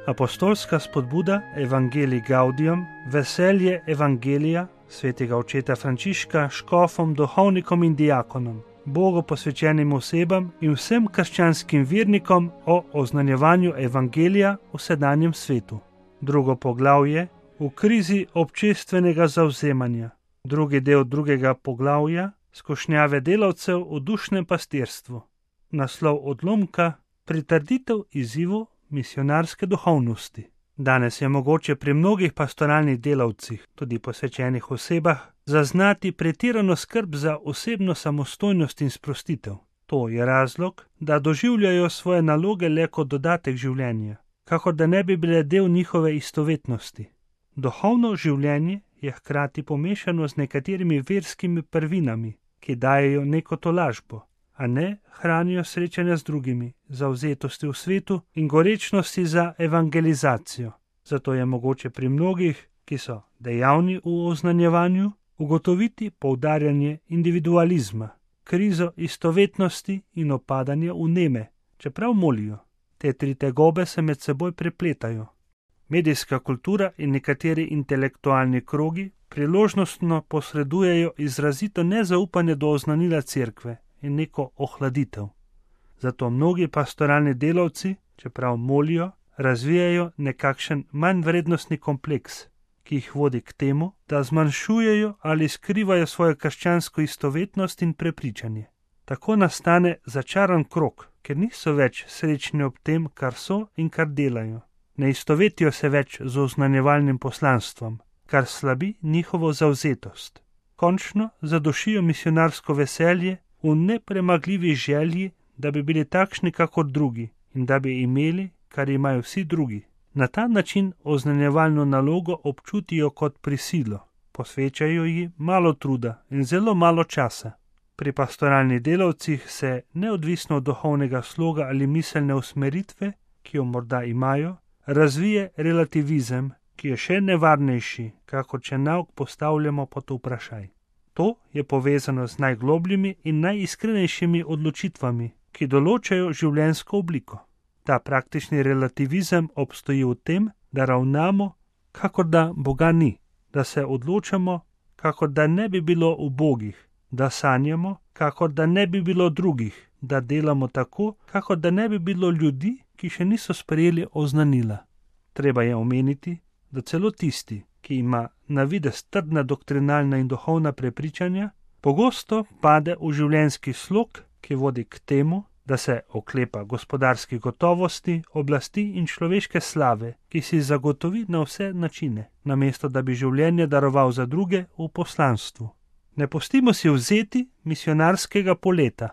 Apostolska spodbuda Evangelii Gaudium, veselje Evangelija svetega očeta Frančiška škofom, duhovnikom in diakonom, Bogu posvečenim osebam in vsem krščanskim vernikom o oznanjevanju Evangelija v sedanjem svetu. Drugo poglavje v krizi občestvenega zavzemanja. Drugi del drugega poglavja skušnjave delavcev v dušnem pastirstvu. Naslov odlomka pritrditev izzivu misionarske duhovnosti. Danes je mogoče pri mnogih pastoralnih delavcih, tudi posvečenih osebah, zaznati pretirano skrb za osebno samostojnost in sprostitev. To je razlog, da doživljajo svoje naloge le kot dodatek življenja, kakor da ne bi bile del njihove istovetnosti. Duhovno življenje je hkrati pomešano z nekaterimi verskimi prvinami, ki dajejo neko tolažbo, a ne hranijo srečanja z drugimi, zavzetosti v svetu in gorečnosti za evangelizacijo. Zato je mogoče pri mnogih, ki so dejavni v oznanjevanju, ugotoviti poudarjanje individualizma, krizo istovetnosti in opadanje vneme, čeprav molijo. Te tri tegobe se med seboj prepletajo. Medijska kultura in nekateri intelektualni krogi priložnostno posredujejo izrazito nezaupanje do oznanila cerkve in neko ohladitev. Zato mnogi pastoralni delavci, čeprav molijo, razvijajo nekakšen manjvrednostni kompleks, ki jih vodi k temu, da zmanjšujejo ali skrivajo svojo krščansko istovetnost in prepričanje. Tako nastane začaran krog, ker niso več srečni ob tem, kar so in kar delajo. Ne istovetijo se več z oznanjevalnim poslanstvom, kar slabi njihovo zavzetost. Končno zadušijo misionarsko veselje v nepremagljivi želji, da bi bili takšni kakor drugi in da bi imeli, kar imajo vsi drugi. Na ta način oznanjevalno nalogo občutijo kot prisilo, posvečajo ji malo truda in zelo malo časa. Pri pastoralnih delavcih se, neodvisno od duhovnega sloga ali miselne usmeritve, ki jo morda imajo, razvije relativizem, ki je še nevarnejši, kakor če nauk postavljamo pod vprašaj. To je povezano z najglobljimi in najiskrenejšimi odločitvami, ki določajo življenjsko obliko. Ta praktični relativizem obstoji v tem, da ravnamo, kakor da Boga ni, da se odločamo, kakor da ne bi bilo ubogih, da sanjamo, kakor da ne bi bilo drugih, da delamo tako, kakor da ne bi bilo ljudi, ki še niso sprejeli oznanila. Treba je omeniti, da celo tisti, ki ima na videz trdna doktrinalna in duhovna prepričanja, pogosto pade v življenjski slog, ki vodi k temu, da se oklepa gospodarski gotovosti, oblasti in človeške slave, ki si zagotovi na vse načine, namesto da bi življenje daroval za druge v poslanstvu. Ne pustimo si vzeti misionarskega poleta,